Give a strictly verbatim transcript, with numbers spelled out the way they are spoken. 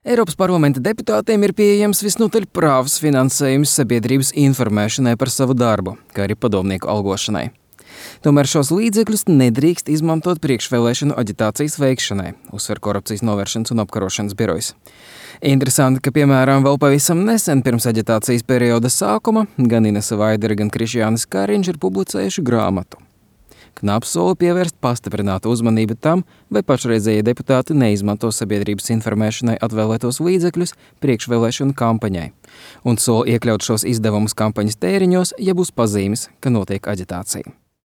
Eiropas parlamenta deputātiem ir pieejams visnotaļ prāvs finansējums sabiedrības informēšanai par savu darbu, kā arī padomnieku algošanai. Tomēr šos līdzekļus nedrīkst izmantot priekšvēlēšanu aģitācijas veikšanai, uzsver Korupcijas novēršanas un apkarošanas birojs. Interesanti, ka, piemēram, vēl pavisam nesen pirms aģitācijas perioda sākuma gan Inese Vaidere, gan Krišjānis Kariņš ir publicējuši grāmatu. Knaps sola pievērst pastiprinātu uzmanību tam, vai pašreizējie deputāti neizmanto sabiedrības informēšanai atvēlētos līdzekļus priekšvēlēšanu kampaņai, un sola iekļaut šos izdevumus kampaņas tēriņos, ja būs pazīmes, ka notiek aģitācija.